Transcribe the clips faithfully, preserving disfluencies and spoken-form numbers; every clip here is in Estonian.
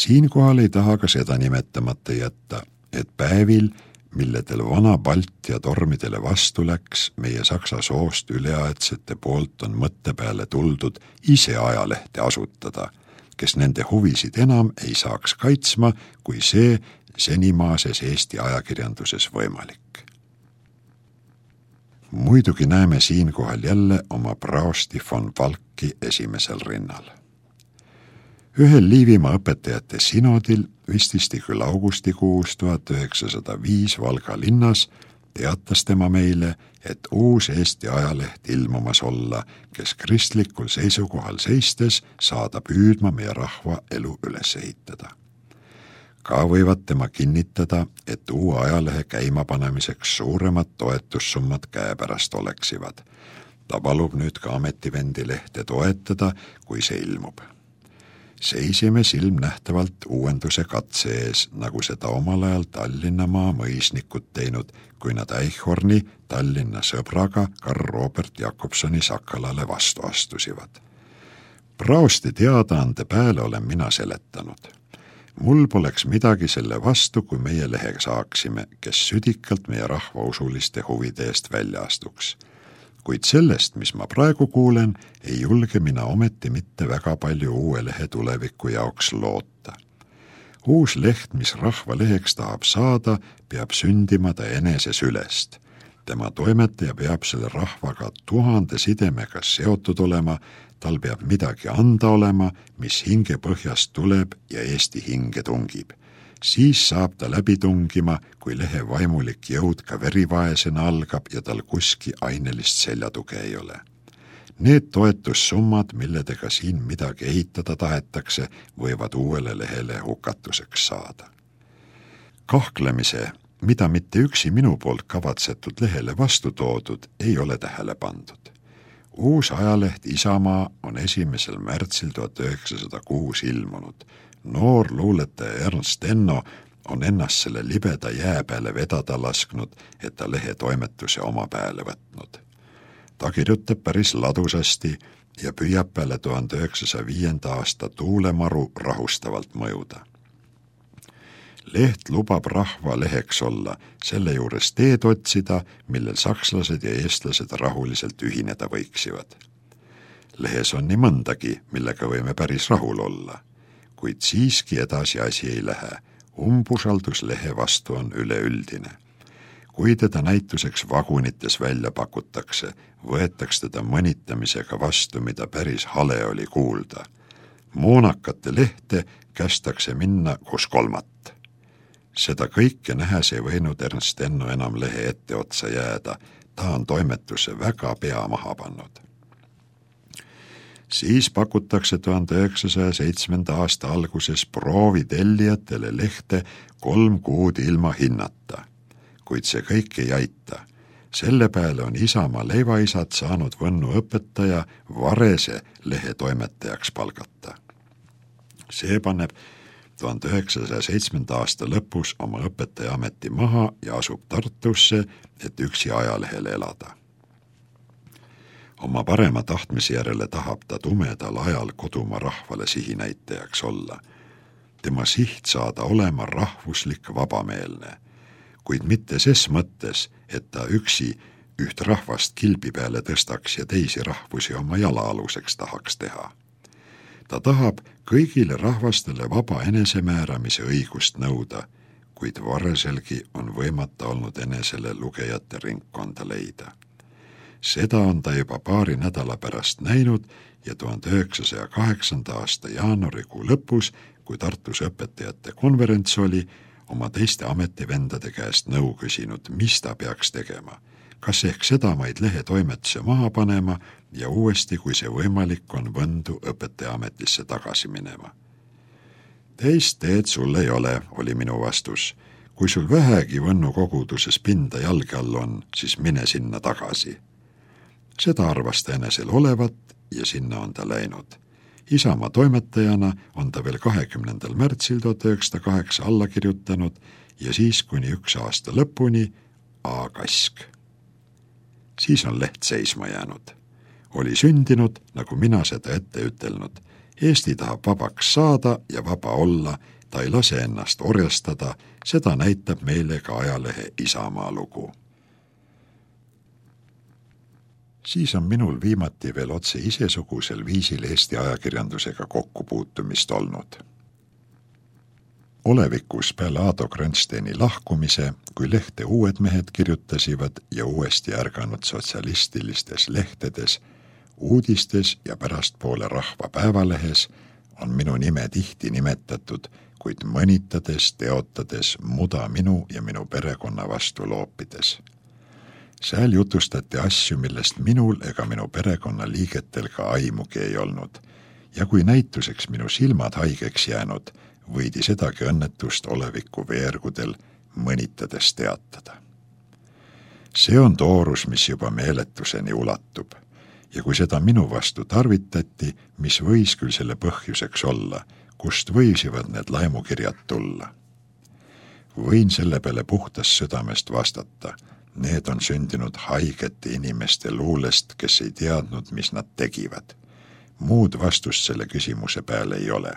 Siinkohal ei taha ka seda nimetamata jätta, et päevil, milledel vana Baltia tormidele vastu läks, meie saksa soost üleaedsete poolt on mõtte peale tuldud ise ajalehte asutada, kes nende huvisid enam ei saaks kaitsma, kui see senimaases Eesti ajakirjanduses võimalik. Muidugi näeme siinkohal jälle oma praosti von Falki esimesel rinnal. Ühel Liivimaa õpetajate sinodil vististi küll augustikuus tuhat üheksasada viis Valga linnas teatas tema meile, et uus Eesti ajaleht ilmumas olla, kes kristlikul seisukohal seistes saada püüdma meie rahva elu üles ehitada. Ka võivad tema kinnitada, et uue ajalehe käimapanemiseks suuremad toetussummad käepärast oleksivad. Ta palub nüüd ka ametivendi lehte toetada, kui see ilmub. Seisime silmnähtavalt uuenduse katse ees, nagu seda omal ajal Tallinnamaa mõisnikud teinud, kui nad Eichhorni Tallinna sõbraga Karl Robert Jakobsoni Sakalale vastu astusivad. Praosti teadaande pääle olen mina seletanud. Mul poleks midagi selle vastu, kui meie lehe saaksime, kes südikalt meie rahvausuliste huvide eest välja astuks. Kuid sellest, mis ma praegu kuulen, ei julge mina ometi mitte väga palju uue lehe tuleviku jaoks loota. Uus leht, mis rahva leheks tahab saada, peab sündima ta enese sülest. Tema toimetaja peab selle rahvaga tuhande sidemega seotud olema, tal peab midagi anda olema, mis hinge põhjast tuleb ja Eesti hinge tungib. Siis saab ta läbi tungima, kui lehe vaimulik jõud ka verivaesena algab ja tal kuski ainelist seljatuge ei ole. Need toetussummad, milledega siin midagi ehitada tahetakse, võivad uuele lehele hukatuseks saada. Kahklemise, mida mitte üksi minu poolt kavatsetud lehele vastu toodud, ei ole tähele pandud. Uus ajaleht Isamaa on esimesel märtsil tuhat üheksasada kuus ilmunud. Noor luuletaja Ernst Enno on ennast selle libeda jää peale vedada lasknud, et ta lehe toimetuse oma peale võtnud. Ta kirjutab päris ladusasti ja püüab peale tuhande üheksasaja viienda aasta tuulemaru rahustavalt mõjuda. Leht lubab rahva leheks olla, selle juures teed otsida, millel sakslased ja eestlased rahuliselt ühineda võiksivad. Lehes on nii mõndagi, millega võime päris rahul olla. Kuid siiski edasi asi ei lähe. Umbusaldus lehe vastu on üleüldine. Kui teda näituseks vagunites välja pakutakse, võetaks teda mõnitamisega vastu, mida päris hale oli kuulda. Moonakate lehte kästakse minna kus kolmat. Seda kõike nähes ei võinud Ernst Enno enam lehe ette otsa jääda, ta on toimetuse väga pea maha pannud. Siis pakutakse tuhande üheksasaja seitsmenda aasta alguses proovitellijatele lehte kolm kuud ilma hinnata. Kuid see kõik ei aita. Selle peale on Isamaa leivaisad saanud Võnnu õpetaja Varese lehe toimetajaks palgata. See paneb tuhande üheksasaja seitsmenda aasta lõpus oma õpetaja ameti maha ja asub Tartusse, et üksi ajalehele elada. Oma parema tahtmise järele tahab ta tumedal ajal kodumaa rahvale sihinäitajaks olla. Tema siht saada olema rahvuslik vabameelne, kuid mitte ses mõttes, et ta üksi üht rahvast kilbi peale tõstaks ja teisi rahvusi oma jalaaluseks tahaks teha. Ta tahab kõigile rahvastele vaba enesemääramise õigust nõuda, kuid Vareselgi on võimata olnud enesele lugejate ringkonda leida. Seda on ta juba paari nädala pärast näinud ja tuhande üheksasaja kaheksanda aasta jaanuarikuu lõpus, kui Tartus õpetajate konverents oli, oma teiste ametivendade käest nõu küsinud, mis ta peaks tegema. Kas ehk sedamaid lehe toimetuse maha panema ja uuesti, kui see võimalik on, Võndu õpetaja ametisse tagasi minema. Teist teed sul ei ole, oli minu vastus. Kui sul vähegi Võnnu koguduses pinda jalge all on, siis mine sinna tagasi. Seda arvas ta enesel olevat ja sinna on ta läinud. Isamaa toimetajana on ta veel kahekümnendal märtsil tuhat üheksasada kaheksa alla kirjutanud ja siis kuni üks aasta lõpuni A. Kask. Siis on leht seisma jäänud. Oli sündinud, nagu mina seda ette ütelnud, Eesti tahab vabaks saada ja vaba olla, ta ei lase ennast orjastada, seda näitab meile ka ajalehe Isamaa lugu. Siis on minul viimati veel otse isesugusel viisil Eesti ajakirjandusega kokkupuutumist olnud. Olevikus peale Aado Grönsteini lahkumise, kui lehte Uued mehed kirjutasivad ja uuesti ärganud sotsialistilistes lehtedes, uudistes ja pärastpoole Rahva Päevalehes on minu nime tihti nimetatud, kuid mõnitades, teotades, muda minu ja minu perekonna vastu loopides. Sääl jutustati asju, millest minul ega minu perekonna liigetel ka aimugi ei olnud, ja kui näituseks minu silmad haigeks jäänud, võidi sedagi õnnetust oleviku veergudel mõnitades teatada. See on toorus, mis juba meeletuseni ulatub, ja kui seda minu vastu tarvitati, mis võis küll selle põhjuseks olla, kust võisivad need laimukirjad tulla. Võin selle peale puhtas südamest vastata, need on sündinud haigete inimeste luulest, kes ei teadnud, mis nad tegivad. Muud vastust selle küsimuse peale ei ole.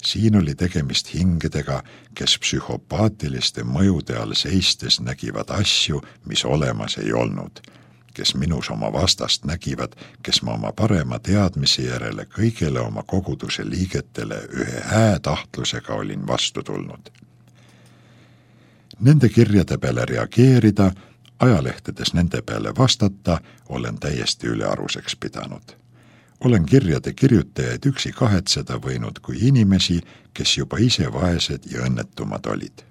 Siin oli tegemist hingedega, kes psühhopaatiliste mõjude all seistes nägivad asju, mis olemas ei olnud, kes minus oma vastast nägivad, kes ma oma parema teadmise järele kõigele oma koguduse liigetele ühe häätahtlusega olin vastu tulnud. Nende kirjade peale reageerida, ajalehtedes nende peale vastata, olen täiesti ülearuseks pidanud. Olen kirjade kirjutajaid üksi kahetseda võinud kui inimesi, kes juba ise vaesed ja õnnetumad olid.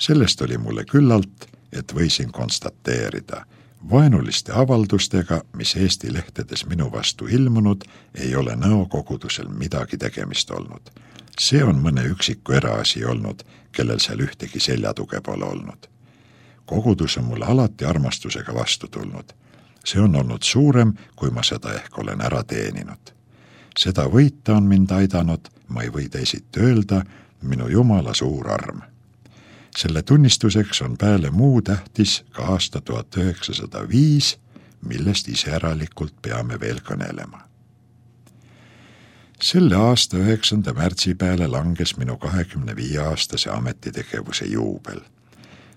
Sellest oli mulle küllalt, et võisin konstateerida, vaenuliste avaldustega, mis Eesti lehtedes minu vastu ilmunud, ei ole nõokogudusel midagi tegemist olnud. See on mõne üksiku eraasi olnud, kellel seal ühtegi seljatuge pole olnud. Kogudus on mulle alati armastusega vastu tulnud. See on olnud suurem, kui ma seda ehk olen ära teeninud. Seda võita on mind aidanud, ma ei või teisiti öelda, minu Jumala suur arm. Selle tunnistuseks on peale muu tähtis ka aasta tuhat üheksasada viis, millest iseäralikult peame veel kõnelema. Selle aasta üheksanda märtsi peale langes minu kahekümne viie aastase ametitegevuse juubel.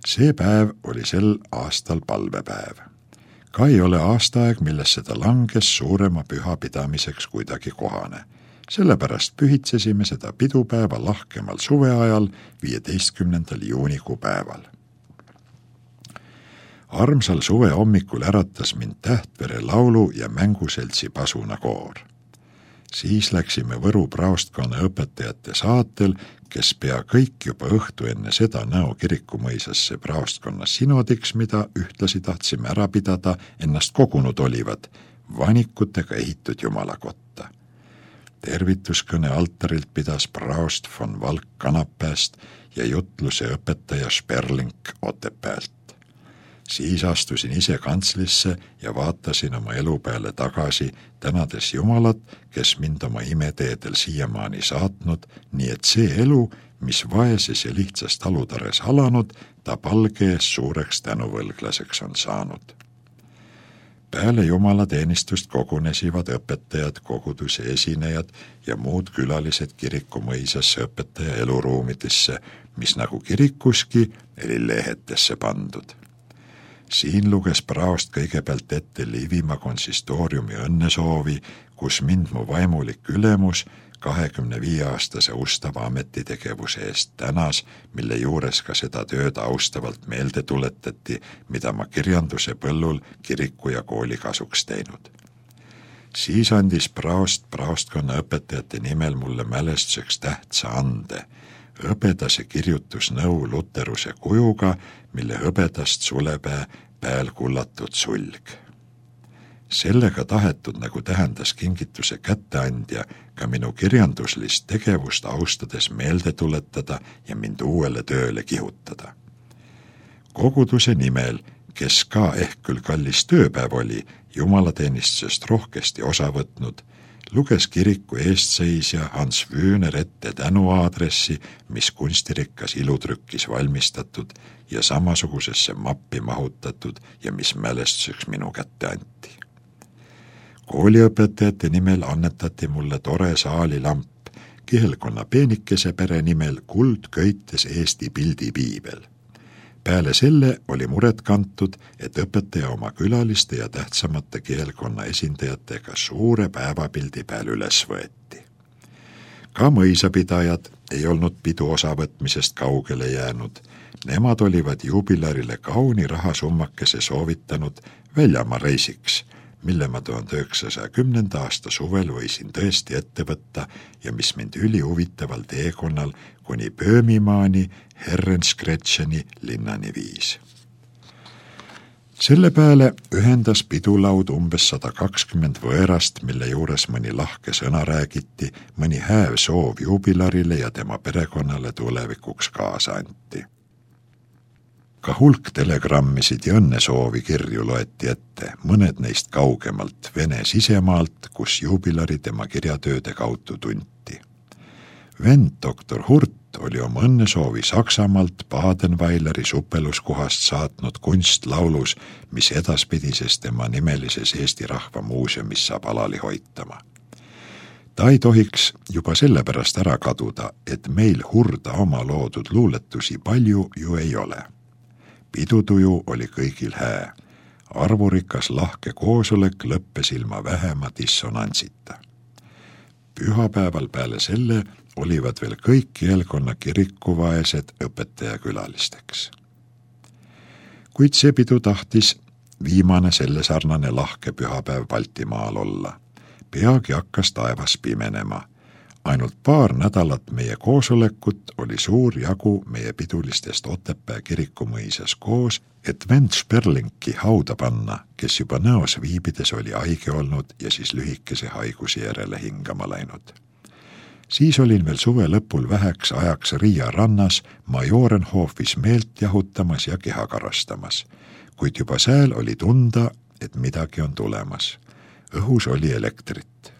See päev oli sel aastal palvepäev. Ka ei ole aastaaeg, milles seda langes suurema püha pidamiseks kuidagi kohane. Sellepärast pühitsesime seda pidupäeva lahkemal suveajal viieteistkümnendal juunikuu päeval. Armsal suve hommikul äratas mind Tähtvere laulu- ja mänguseltsi pasunakoor. Siis läksime Võru praostkonna õpetajate saatel, kes pea kõik juba õhtu enne seda Nõo kirikumõisasse praostkonna sinodiks, mida ühtlasi tahtsime ära pidada, ennast kogunud olivad, vanikutega ehitud jumalakotta. Tervituskõne altarilt pidas praost von Valk Kanapääst ja jutluse õpetaja Sperling Otepäält. Siis astusin ise kantslisse ja vaatasin oma elu peale tagasi, tänades Jumalat, kes mind oma imeteedel siiamaani saatnud, nii et see elu, mis vaeses ja lihtsas talutares alanud, ta palge ees suureks tänuvõlglaseks on saanud. Peale jumalateenistust kogunesivad õpetajad, koguduse esinejad ja muud külalised kirikumõisasse õpetaja eluruumidesse, mis nagu kirikuski oli lehetesse pandud. Siin luges praost kõigepealt ette Liivimaa konsistooriumi õnnesoovi, kus mind mu vaimulik ülemus kahekümne viie aastase ustava ametitegevuse eest tänas, mille juures ka seda tööd austavalt meelde tuletati, mida ma kirjanduse põllul kiriku ja kooli kasuks teinud. Siis andis praost praostkonna õpetajate nimel mulle mälestuseks tähtsa ande, hõbedase kirjutusnõu luteruse kujuga, mille hõbedast sulepää pääl kullatud sulg. Sellega tahetud, nagu tähendas kingituse kätteandja, ka minu kirjanduslist tegevust austades meelde tuletada ja mind uuele tööle kihutada. Koguduse nimel, kes ka ehk küll kallis tööpäev oli, jumalateenistusest rohkesti osa võtnud, luges kiriku eestseisja Hans Wühner ette tänuaadressi, mis kunstirikkas ilutrükkis valmistatud ja samasugusesse mappi mahutatud ja mis mälestuseks minu kätte anti. Kooliõpetajate nimel annetati mulle tore saalilamp, kihelkonna peenikese pere nimel kuld köites Eesti pildipiibel. Peale selle oli muret kantud, et õpetaja oma külaliste ja tähtsamate kihelkonna esindajatega suure päevapildi peal üles võeti. Ka mõisapidajad ei olnud pidu osavõtmisest kaugele jäänud. Nemad olivad jubilarile kauni rahasummakese soovitanud väljamaa reisiks, mille ma tuhande üheksasaja kümnenda aasta suvel võisin tõesti ette võtta ja mis mind üli huvitaval teekonnal kuni Pöömimaani Herrenskretšeni linnani viis. Selle peale ühendas pidulaud umbes sada kakskümmend võerast, mille juures mõni lahke sõna räägiti, mõni hääv soov jubilarile ja tema perekonnale tulevikuks kaasa anti. Ka hulk telegrammisid ja õnnesoovi kirju loeti ette, mõned neist kaugemalt Vene sisemaalt, kus jubilari tema kirjatööde kaudu tunti. Vend doktor Hurt oli oma õnnesoovi Saksamaalt Badenweileri supeluskohast saatnud kunstlaulus, mis edaspidises tema nimelises Eesti Rahva Muuseumis saab alali hoitama. Ta ei tohiks juba sellepärast ära kaduda, et meil Hurda oma loodud luuletusi palju ju ei ole. Pidutuju oli kõigil hää. Arvurikas lahke koosolek lõppes ilma vähema dissonantsita. Pühapäeval peale selle olivad veel kõik kihelkonna kirikuvaesed õpetaja külalisteks. Kuid see pidu tahtis viimane selle sarnane lahke pühapäev Baltimaal olla. Peagi hakkas taevas pimenema. Ainult paar nädalat meie koosolekut oli suur jagu meie pidulistest Otepää kirikumõisas koos, et vend Sperlinki hauda panna, kes juba näos viibides oli haige olnud ja siis lühikese haiguse järele hingama läinud. Siis olin veel suve lõpul väheks ajaks Riia rannas Majorenhofis meelt jahutamas ja keha karastamas, kuid juba sääl oli tunda, et midagi on tulemas. Õhus oli elektrit.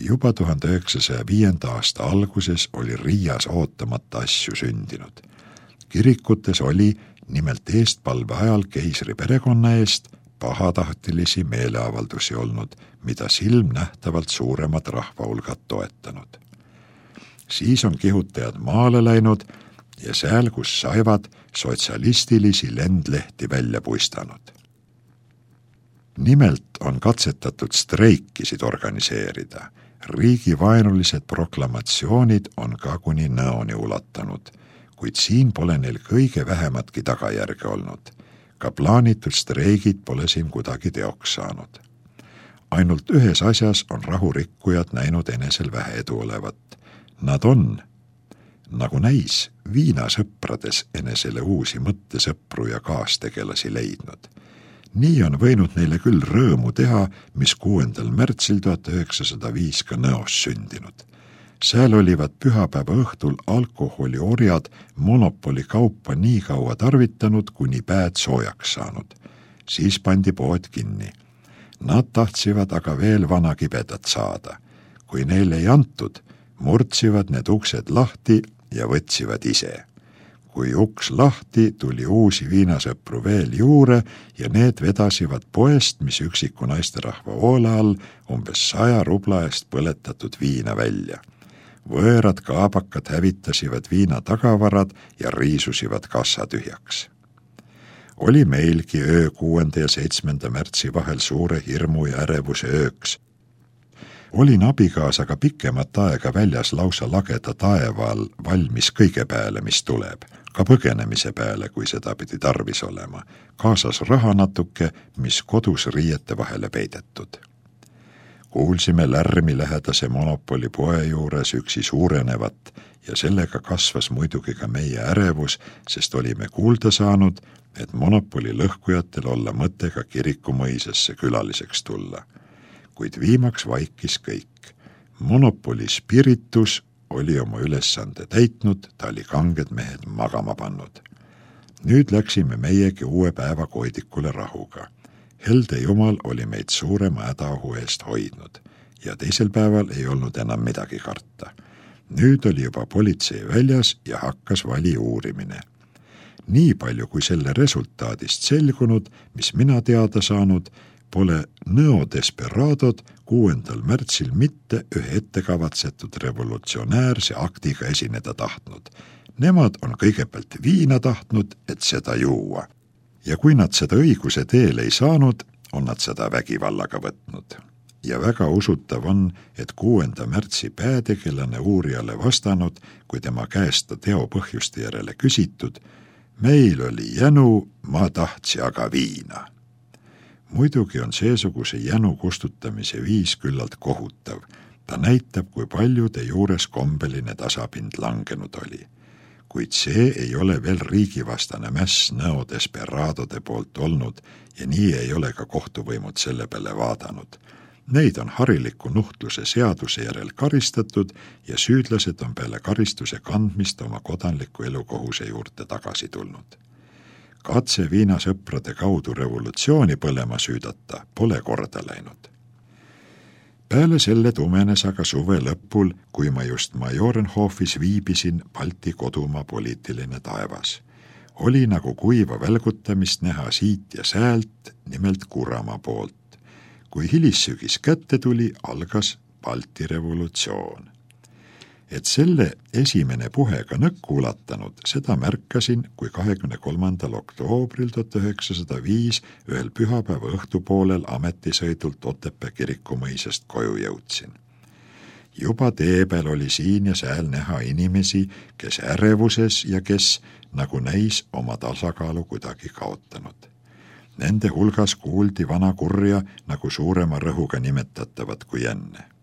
Juba tuhande üheksasaja viienda aasta alguses oli Riias ootamata asju sündinud. Kirikutes oli nimelt eestpalve ajal keisri perekonna eest pahatahtilisi meeleavaldusi olnud, mida silmnähtavalt suuremad rahvahulgad toetanud. Siis on kihutajad maale läinud ja sääl, kus saivad, sotsialistilisi lendlehti välja puistanud. Nimelt on katsetatud streikisid organiseerida. Riigivaenulised proklamatsioonid on ka kuni näoni ulatanud, kuid siin pole neil kõige vähematki tagajärge olnud. Ka plaanitud streigid pole siin kuidagi teoks saanud. Ainult ühes asjas on rahurikkujad näinud enesel vähe edu olevat. Nad on, nagu näis, viinasõprades enesele uusi mõttesõpru ja kaastegelasi leidnud. Nii on võinud neile küll rõõmu teha, mis kuuendal märtsil tuhat üheksasada viis ka Nõos sündinud. Sääl olivad pühapäeva õhtul alkoholiorjad monopoli kaupa nii kaua tarvitanud, kuni päed soojaks saanud. Siis pandi pood kinni. Nad tahtsиvad aga veel vana kibedat saada. Kui neile ei antud, murtsivad need uksed lahti ja võtsivad ise. Kui uks lahti, tuli uusi viinasõpru veel juure ja need vedasivad poest, mis üksiku naisterahva hoole all umbes saja rubla eest põletatud viina välja. Võõrad kaabakad hävitasivad viina tagavarad ja riisusivad kassa tühjaks. Oli meilgi öö kuuenda ja seitsmenda märtsi vahel suure hirmu ja ärevuse ööks. Olin abikaasaga pikemat aega väljas lausa lageda taeval valmis kõige peale, mis tuleb, ka põgenemise peale, kui seda pidi tarvis olema, kaasas raha natuke, mis kodus riiete vahele peidetud. Kuulsime lärmi lähedase monopoli poe juures üksi suurenevat ja sellega kasvas muidugi ka meie ärevus, sest olime kuulda saanud, et monopoli lõhkujatel olla mõttega kirikumõisasse külaliseks tulla. Kuid viimaks vaikis kõik. Monopoli spiritus oli oma ülesande täitnud, ta oli kanged mehed magama pannud. Nüüd läksime meiegi uue päeva koidikule rahuga. Helde Jumal oli meid suurema hädaohu eest hoidnud ja teisel päeval ei olnud enam midagi karta. Nüüd oli juba politsei väljas ja hakkas vali uurimine. Nii palju kui selle resultaadist selgunud, mis mina teada saanud, pole Nõo Desperadod kuuendal märtsil mitte ühe ettekavatsetud revolutsionäärse aktiga esineda tahtnud. Nemad on kõigepealt viina tahtnud, et seda juua. Ja kui nad seda õiguse teel ei saanud, on nad seda vägivallaga võtnud. Ja väga usutav on, et kuuenda märtsi päätegelane uurijale vastanud, kui tema käest ta teo põhjuste järele küsitud, meil oli jänu, ma tahtsi aga viina. Muidugi on seesuguse jänu kustutamise viis küllalt kohutav. Ta näitab, kui paljude juures kombeline tasapind langenud oli. Kuid see ei ole veel riigivastane mäss Nõo Desperadode poolt olnud ja nii ei ole ka kohtuvõimud selle peale vaadanud. Neid on hariliku nuhtluse seaduse järel karistatud ja süüdlased on peale karistuse kandmist oma kodanliku elukohuse juurde tagasi tulnud. Katse viinasõprade kaudu revolutsiooni põlema süüdata pole korda läinud. Peale selle tumenes aga suve lõpul, kui ma just Majorenhofis viibisin Balti kodumaa poliitiline taevas. Oli nagu kuiva välgutamist näha siit ja säält, nimelt Kuramaa poolt. Kui hilissügis kätte tuli, algas Balti revolutsioon. Et selle esimene puhega nõkku ulatanud, seda märkasin, kui kahekümne kolmandal oktoobril tuhat üheksasada viis ühel pühapäeva õhtupoolel ametisõidult Otepää kirikumõisast koju jõudsin. Juba tee peal oli siin ja sääl näha inimesi, kes ärevuses ja kes, nagu näis, oma tasakaalu kuidagi kaotanud. Nende hulgas kuuldi vana kurja nagu suurema rõhuga nimetatavat kui enne.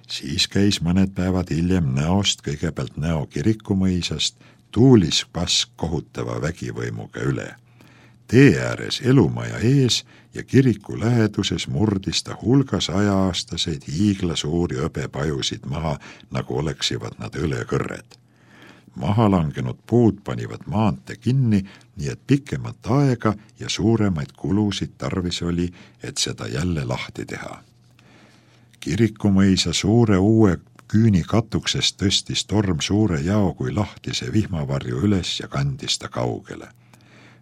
Siis käis mõned päevad hiljem Nõost, kõigepealt Nõo kirikumõisast, tuulis pask kohutava vägivõimuga üle. Tee ääres elumaja ees ja kiriku läheduses murdis ta hulgas ajaastaseid hiigla suuri õbepajusid maha, nagu oleksivad nad õlekõrred. Maha langenud puud panivad maante kinni, nii et pikemat aega ja suuremaid kulusid tarvis oli, et seda jälle lahti teha. Kirikumõisa suure uue küüni katuksest tõstis torm suure jao kui lahtise vihmavarju üles ja kandis ta kaugele.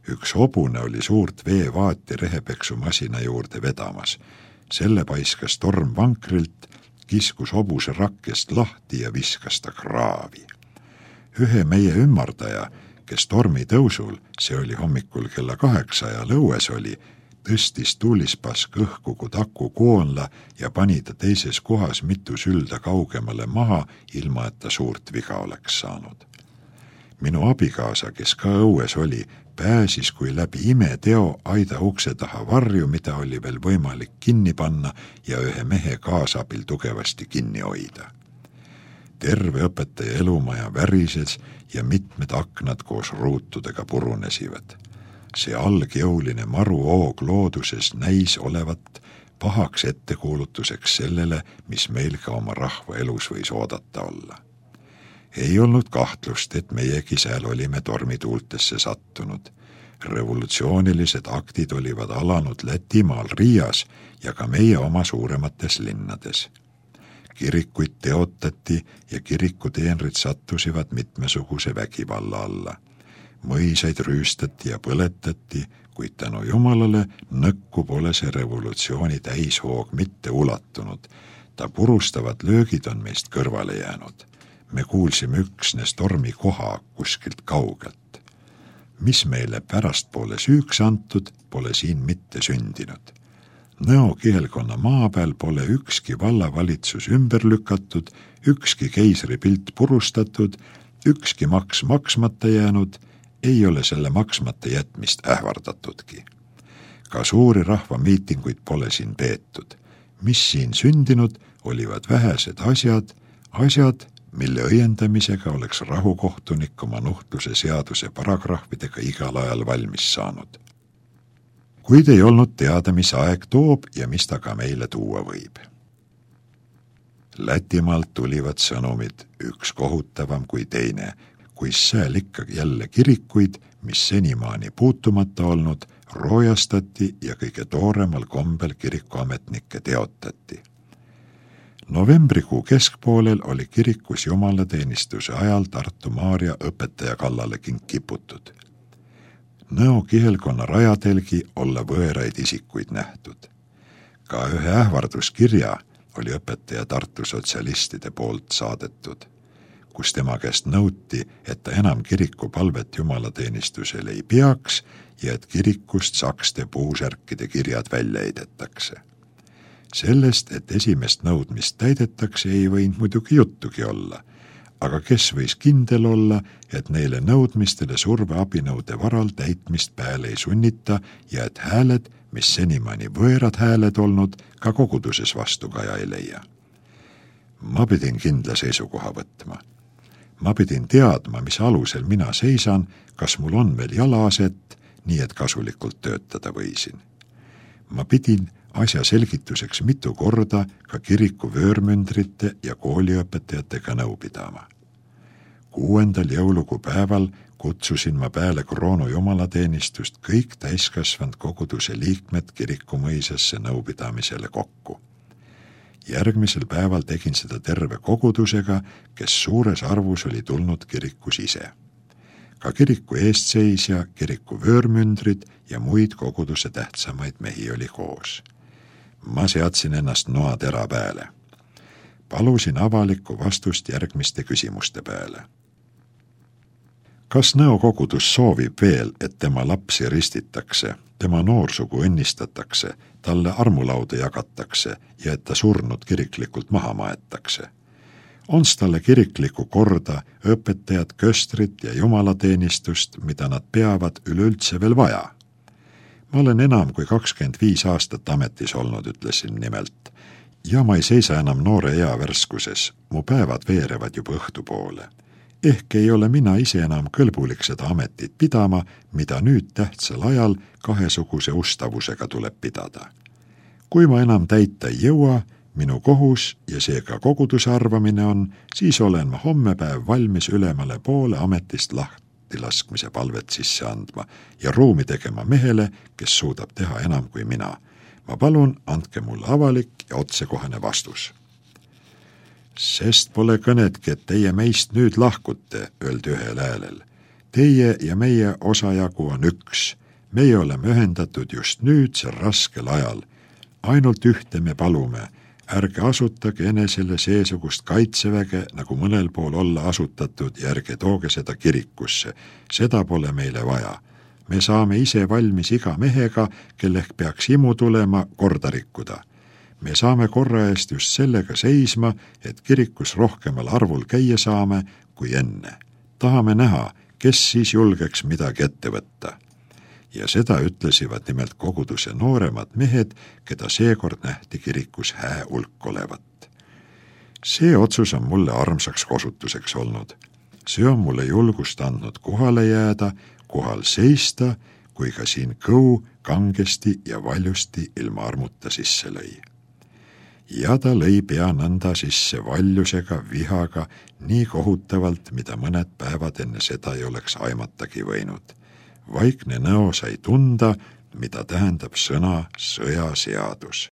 Üks hobune oli suurt veevaati rehepeksumasina juurde vedamas. Selle paiskas torm vankrilt, kiskus hobuse rakkest lahti ja viskas ta kraavi. Ühe meie ümmardaja, kes tormi tõusul, see oli hommikul kella kaheksa ja lõues oli, tõstis tuulispask õhku kui taku koonla ja pani ta teises kohas mitu sülda kaugemale maha, ilma et ta suurt viga oleks saanud. Minu abikaasa, kes ka õues oli, pääsis kui läbi imeteo aida ukse taha varju, mida oli veel võimalik kinni panna ja ühe mehe kaasabil tugevasti kinni hoida. Terve õpetaja elumaja värises ja mitmed aknad koos ruutudega purunesivad. See algjõuline maruoog looduses näis olevat pahaks ettekuulutuseks sellele, mis meil ka oma rahva elus võis oodata olla. Ei olnud kahtlust, et meiegi sääl olime tormituultesse sattunud. Revolutsioonilised aktid olivad alanud Lätimaal Riias ja ka meie oma suuremates linnades. Kirikuid teotati ja kirikuteenrid sattusivad mitmesuguse vägivalla alla. Mõisaid rüüstati ja põletati, kuid tänu Jumalale nõkku pole see revolutsiooni täishoog mitte ulatunud. Ta purustavad löögid on meist kõrvale jäänud. Me kuulsime üksnes tormi koha kuskilt kaugelt. Mis meile pärastpoole süüks antud, pole siin mitte sündinud. Nõo kihelkonna maa peal pole ükski vallavalitsus ümber lükatud, ükski keisri pilt purustatud, ükski maks maksmata jäänud, ei ole selle maksmata jätmist ähvardatudki. Ka suuri rahvamiitinguid pole siin peetud. Mis siin sündinud, olivad vähesed asjad, asjad, mille õiendamisega oleks rahukohtunik oma nuhtluse seaduse paragrahvidega igal ajal valmis saanud. Kuid ei olnud teada, mis aeg toob ja mis ta ka meile tuua võib. Lätimaalt tulivad sõnumid, üks kohutavam kui teine, kui sääl ikka jälle kirikuid, mis senimaani puutumata olnud, roojastati ja kõige tooremal kombel kirikuametnikke teotati. Novembrikuu keskpoolel oli kirikus jumalateenistuse ajal Tartu Maarja õpetaja kallale kiputud. Nõo kihelkonna rajatelgi olla võõraid isikuid nähtud. Ka ühe ähvarduskirja oli õpetaja Tartu sotsialistide poolt saadetud, kus tema käest nõuti, et ta enam kiriku palvet jumalateenistusele ei peaks ja et kirikust sakste puusärkide kirjad välja heidetakse. Sellest, et esimest nõudmist täidetakse, ei võinud muidugi juttugi olla, aga kes võis kindel olla, et neile nõudmistele surveabinõude varal täitmist pääle ei sunnita ja et hääled, mis senimaani võõrad hääled olnud, ka koguduses vastukaja ei leia. Ma pidin kindla seisukoha võtma. Ma pidin teadma, mis alusel mina seisan, kas mul on veel jalaaset, nii et kasulikult töötada võisin. Ma pidin asja selgituseks mitu korda ka kiriku vöörmündrite ja kooliõpetajatega nõu pidama. Kuuendal jõulukuu päeval kutsusin ma peale kroonu jumalateenistust kõik täiskasvanud koguduse liikmed kiriku mõisasse nõupidamisele kokku. Järgmisel päeval tegin seda terve kogudusega, kes suures arvus oli tulnud kirikus ise. Ka kiriku eestseisja, kiriku vöörmündrid ja muid koguduse tähtsamaid mehi oli koos. Ma seadsin ennast noatera peale. Palusin avalikku vastust järgmiste küsimuste peale. Kas nõukogudus soovib veel, et tema lapsi ristitakse, tema noorsugu õnnistatakse, talle armulauda jagatakse ja et ta surnud kiriklikult maha maetakse? Ons talle kiriklikku korda, õpetajad, köstrit ja jumalateenistust, mida nad peavad üleüldse veel vaja? Ma olen enam kui kakskümmend viis aastat ametis olnud, ütlesin nimelt, ja ma ei seisa enam noore ea värskuses, mu päevad veerevad juba õhtu poole. Ehk ei ole mina ise enam kõlbulik seda ametit pidama, mida nüüd tähtsal ajal kahesuguse ustavusega tuleb pidada. Kui ma enam täita ei jõua, minu kohus ja seega koguduse arvamine on, siis olen ma hommepäev valmis ülemale poole ametist lahti laskmise palvet sisse andma ja ruumi tegema mehele, kes suudab teha enam kui mina. Ma palun, andke mulle avalik ja otsekohane vastus. Sest pole kõnetki, et teie meist nüüd lahkute, öeldi ühel häälel. Teie ja meie osajagu on üks. Meie oleme ühendatud just nüüd sel raskel ajal. Ainult ühte me palume. Ärge asutage enesele seesugust kaitseväge, nagu mõnel pool olla asutatud ja ärge tooge seda kirikusse. Seda pole meile vaja. Me saame ise valmis iga mehega, kellek peaks imu tulema korda rikkuda. Me saame korra eest just sellega seisma, et kirikus rohkemal arvul käia saame kui enne. Tahame näha, kes siis julgeks midagi ette võtta. Ja seda ütlesivad nimelt koguduse nooremad mehed, keda seekord nähti kirikus hää hulk olevat. See otsus on mulle armsaks kosutuseks olnud. See on mulle julgust andnud kohale jääda, kohal seista, kui ka siin kõu kangesti ja valjusti ilma armuta sisse lõi. Ja ta lõi pea nõnda sisse valjusega, vihaga, nii kohutavalt, mida mõned päevad enne seda ei oleks aimatagi võinud. Vaikne nõo sai tunda, mida tähendab sõna sõjaseadus.